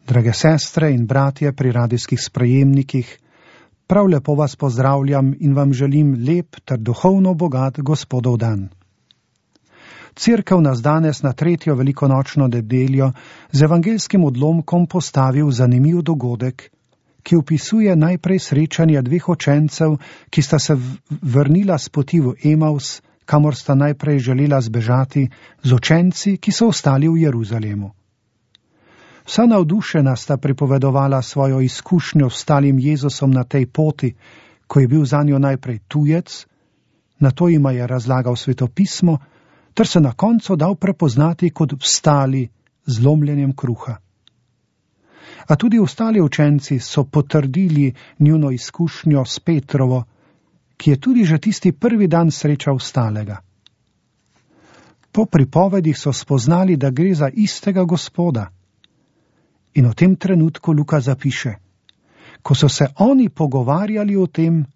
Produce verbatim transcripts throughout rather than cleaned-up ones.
Drage sestre in bratje pri radijskih sprejemnikih, prav lepo vas pozdravljam in vam želim lep ter duhovno bogat Gospodov dan. Cerkev nas danes na tretjo velikonočno nedeljo z evangelskim odlomkom postavi v zanimiv dogodek, ki opisuje najprej srečanje dveh učencev, ki sta se vrnila s poti v Emaus, kamor sta najprej želela zbežati, z učenci, ki so ostali v Jeruzalemu. Vsa navdušena sta pripovedovala svojo izkušnjo s stalim Jezusom na tej poti, ko je bil zanjo najprej tujec, nato jima je razlagal svetopismo, ter se na koncu dal prepoznati kot vstali z lomljenjem kruha. A tudi ostali učenci so potrdili njuno izkušnjo s Petrovo, ki je tudi že tisti prvi dan srečal vstalega. Po pripovedih so spoznali, da gre za istega Gospoda. In v tem trenutku Luka zapiše: ko so se oni pogovarjali o tem,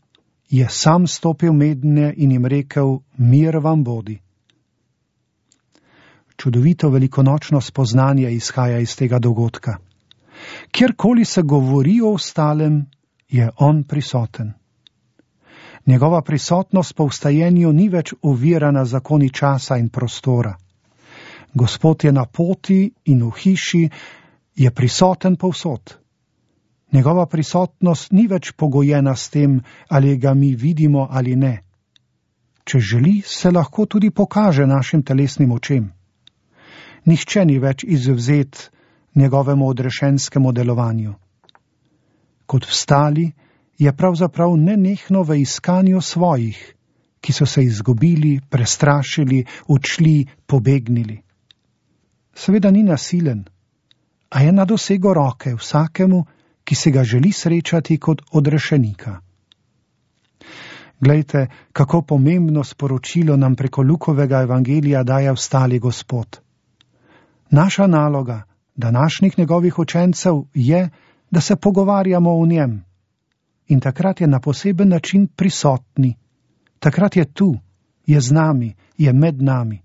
je sam stopil mednje in jim rekel: mir vam bodi. Čudovito velikonočno spoznanje izhaja iz tega dogodka. Kjerkoli se govori o ostalem, je on prisoten. Njegova prisotnost po vstajenju ni več ovirana zakoni časa in prostora. Gospod je na poti in v hiši, je prisoten povsod. Njegova prisotnost ni več pogojena s tem, ali ga mi vidimo ali ne. Če želi, se lahko tudi pokaže našim telesnim očem. Nihče ni več izvzet njegovemu odrešenskemu delovanju. Kot vstali je pravzaprav nenehno v iskanju svojih, ki so se izgubili, prestrašili, odšli, pobegnili. Seveda ni nasilen, a je na dosego roke vsakemu, ki se ga želi srečati kot odrešenika. Glejte, kako pomembno sporočilo nam preko Lukovega evangelija daje vstali Gospod. Naša naloga, današnjih njegovih učencev, je, da se pogovarjamo o njem. In takrat je na poseben način prisotni. Takrat je tu, je z nami, je med nami.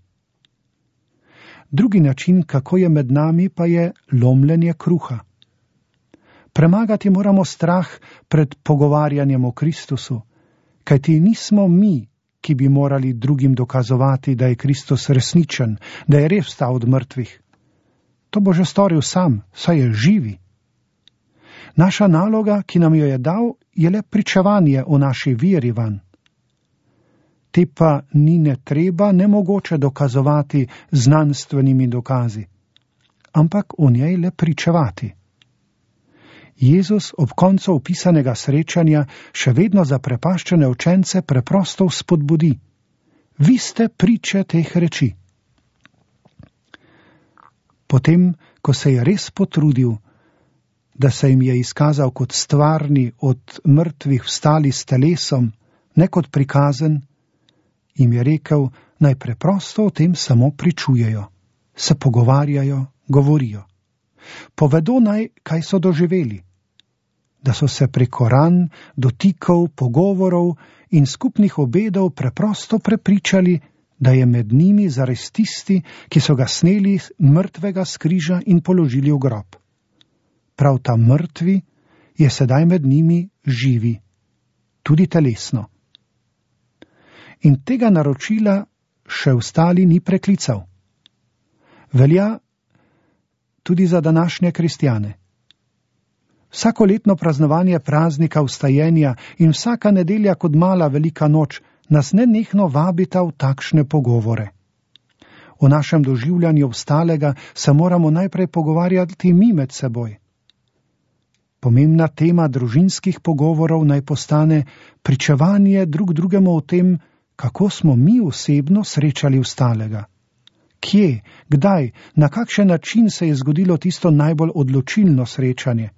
Drugi način, kako je med nami, pa je lomljenje kruha. Premagati moramo strah pred pogovarjanjem o Kristusu, kajti nismo mi, ki bi morali drugim dokazovati, da je Kristus resničen, da je res vstal od mrtvih. To bo že storil sam, saj je živi. Naša naloga, ki nam jo je dal, je le pričevanje o naši veri vanj. Te pa ni ne treba, ne mogoče dokazovati znanstvenimi dokazi, ampak o njej le pričevati. Jezus ob koncu opisanega srečanja še vedno zaprepaščene učence preprosto spodbudi: vi ste priče teh reči. Potem, ko se je res potrudil, da se jim je izkazal kot stvarni, od mrtvih vstali s telesom, ne kot prikazen, jim je rekel, naj preprosto o tem samo pričujejo, se pogovarjajo, govorijo. Povedo naj, kaj so doživeli, da so se preko ran, dotikov, pogovorov in skupnih obedov preprosto prepričali, da je med njimi zares tisti, ki so ga sneli mrtvega s križa in položili v grob. Prav ta mrtvi je sedaj med njimi živi, tudi telesno. In tega naročila še ostali ni preklical. Velja tudi za današnje kristjane. Vsakoletno praznovanje praznika vstajenja in vsaka nedelja kot mala velika noč nas nenehno vabita v takšne pogovore. O našem doživljanju vstalega se moramo najprej pogovarjati mi med seboj. Pomembna tema družinskih pogovorov naj postane pričevanje drug drugemu o tem, kako smo mi osebno srečali vstalega. Kje, kdaj, na kakšen način se je zgodilo tisto najbolj odločilno srečanje.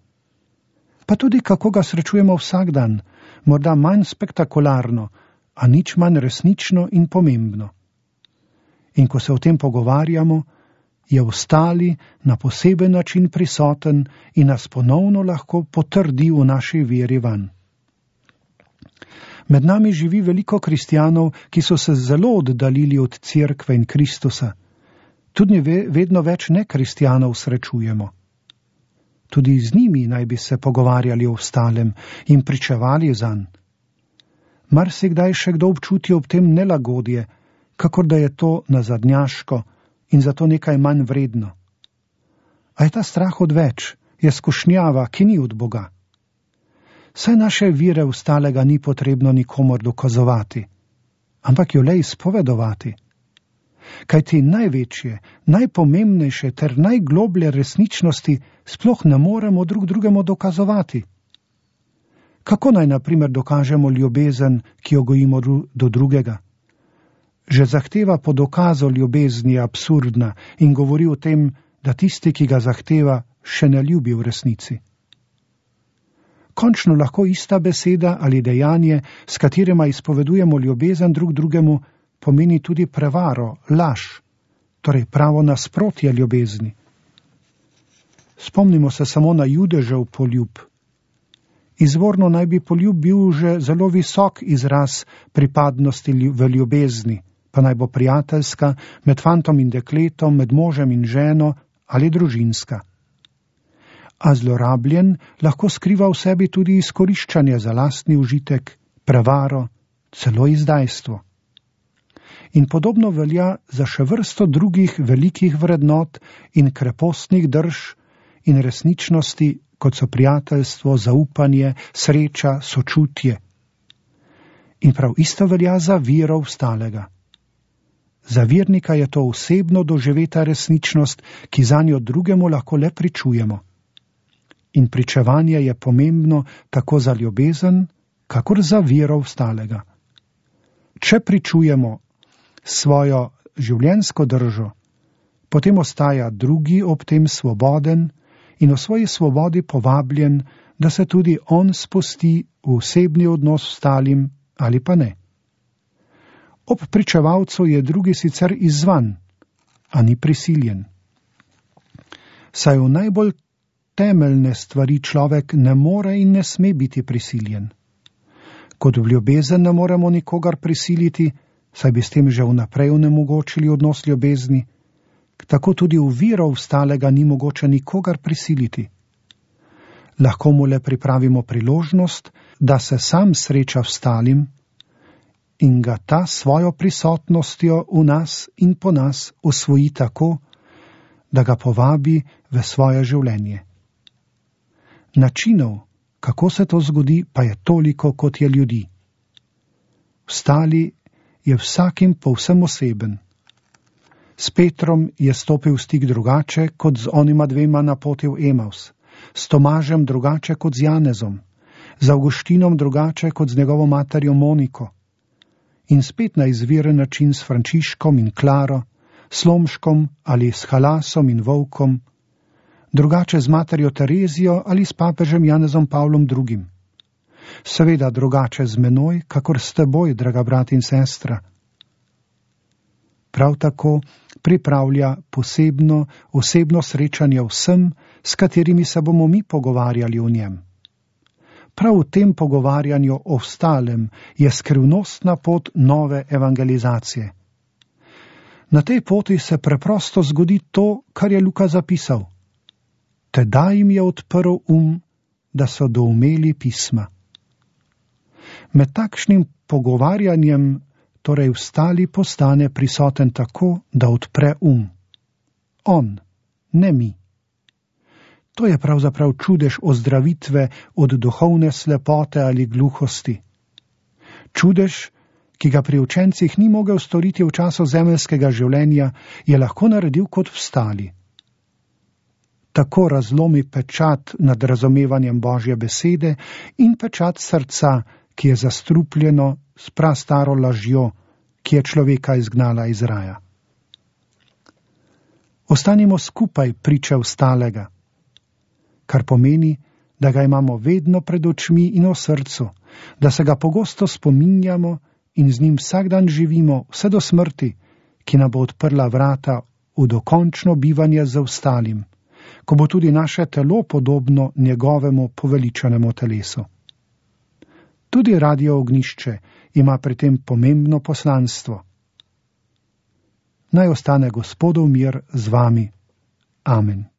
Pa tudi kako ga srečujemo vsak dan, morda manj spektakularno, a nič manj resnično in pomembno. In ko se o tem pogovarjamo, je vstali na poseben način prisoten in nas ponovno lahko potrdi v naši veri vanj. Med nami živi veliko kristjanov, ki so se zelo oddaljili od cerkve in Kristusa. Tudi vedno več nekristjanov srečujemo. Tudi z njimi naj bi se pogovarjali o vstalem in pričevali zanj. Marsikdaj še kdo občuti ob tem nelagodje, kakor da je to nazadnjaško in zato nekaj manj vredno. A je ta strah odveč, je skušnjava, ki ni od Boga. Saj naše vire vstalega ni potrebno nikomor dokazovati, ampak jo le izpovedovati. Kajti največje, najpomembnejše ter najgloblje resničnosti sploh ne moremo drug drugemu dokazovati. Kako naj na primer dokažemo ljubezen, ki jo gojimo do drugega? Že zahteva po dokazu ljubezni je absurdna in govori o tem, da tisti, ki ga zahteva, še ne ljubi v resnici. Končno lahko ista beseda ali dejanje, s katerima izpovedujemo ljubezen drug drugemu, pomeni tudi prevaro, laž, torej pravo nasprotje ljubezni. Spomnimo se samo na Judežev poljub. Izvorno naj bi poljub bil že zelo visok izraz pripadnosti v ljubezni, pa naj bo prijateljska, med fantom in dekletom, med možem in ženo ali družinska. A zlorabljen lahko skriva v sebi tudi izkoriščanje za lastni užitek, prevaro, celo izdajstvo. In podobno velja za še vrsto drugih velikih vrednot in krepostnih drž in resničnosti, kot so prijateljstvo, zaupanje, sreča, sočutje. In prav isto velja za vero vstalega. Za vernika je to osebno doživeta resničnost, ki zanjo drugemu lahko le pričujemo. In pričevanje je pomembno tako za ljubezen, kakor za vero vstalega. Če pričujemo svojo življenjsko držo, potem ostaja drugi ob tem svoboden in v svoji svobodi povabljen, da se tudi on spusti v osebni odnos s ostalim ali pa ne. Ob pričevalcu je drugi sicer izzvan, a ni prisiljen. Saj v najbolj temeljne stvari človek ne more in ne sme biti prisiljen. Kot v ljubezen ne moremo nikogar prisiliti, saj bi s tem že vnaprej onemogočili odnos ljubezni, tako tudi v vero vstalega ni mogoče nikogar prisiliti. Lahko mu le pripravimo priložnost, da se sam sreča vstalim in ga ta svojo prisotnostjo v nas in po nas osvoji tako, da ga povabi v svoje življenje. Načinov, kako se to zgodi, pa je toliko, kot je ljudi. Vstali je vsakim povsem oseben. S Petrom je stopil v stik drugače, kot z onima dvema na poti v Emaus, s Tomažem drugače kot z Janezom, z Avguštinom drugače kot z njegovo materjo Moniko in spet na izviren način s Frančiškom in Klaro, s Lomškom ali s Halasom in Volkom, drugače z materjo Terezijo ali s papežem Janezom Pavlom drugim. Seveda drugače z menoj, kakor s teboj, draga brat in sestra. Prav tako pripravlja posebno, osebno srečanje vsem, s katerimi se bomo mi pogovarjali o njem. Prav v tem pogovarjanju o vstalem je skrivnostna pot nove evangelizacije. Na tej poti se preprosto zgodi to, kar je Luka zapisal. Tedaj jim je odprl um, da so doumeli pisma. Med takšnim pogovarjanjem torej vstali postane prisoten tako, da odpre um. On, ne mi. To je pravzaprav čudež ozdravitve od duhovne slepote ali gluhosti. Čudež, ki ga pri učencih ni mogel storiti v času zemeljskega življenja, je lahko naredil kot vstali. Tako razlomi pečat nad razumevanjem Božje besede in pečat srca, ki je zastrupljeno s prastaro lažjo, ki je človeka izgnala iz raja. Ostanimo skupaj priče vstalega, kar pomeni, da ga imamo vedno pred očmi in v srcu, da se ga pogosto spominjamo in z njim vsak dan živimo vse do smrti, ki nam bo odprla vrata v dokončno bivanje z vstalim, ko bo tudi naše telo podobno njegovemu poveličanemu telesu. Tudi Radio Ognjišče ima pri tem pomembno poslanstvo. Naj ostane Gospodov mir z vami. Amen.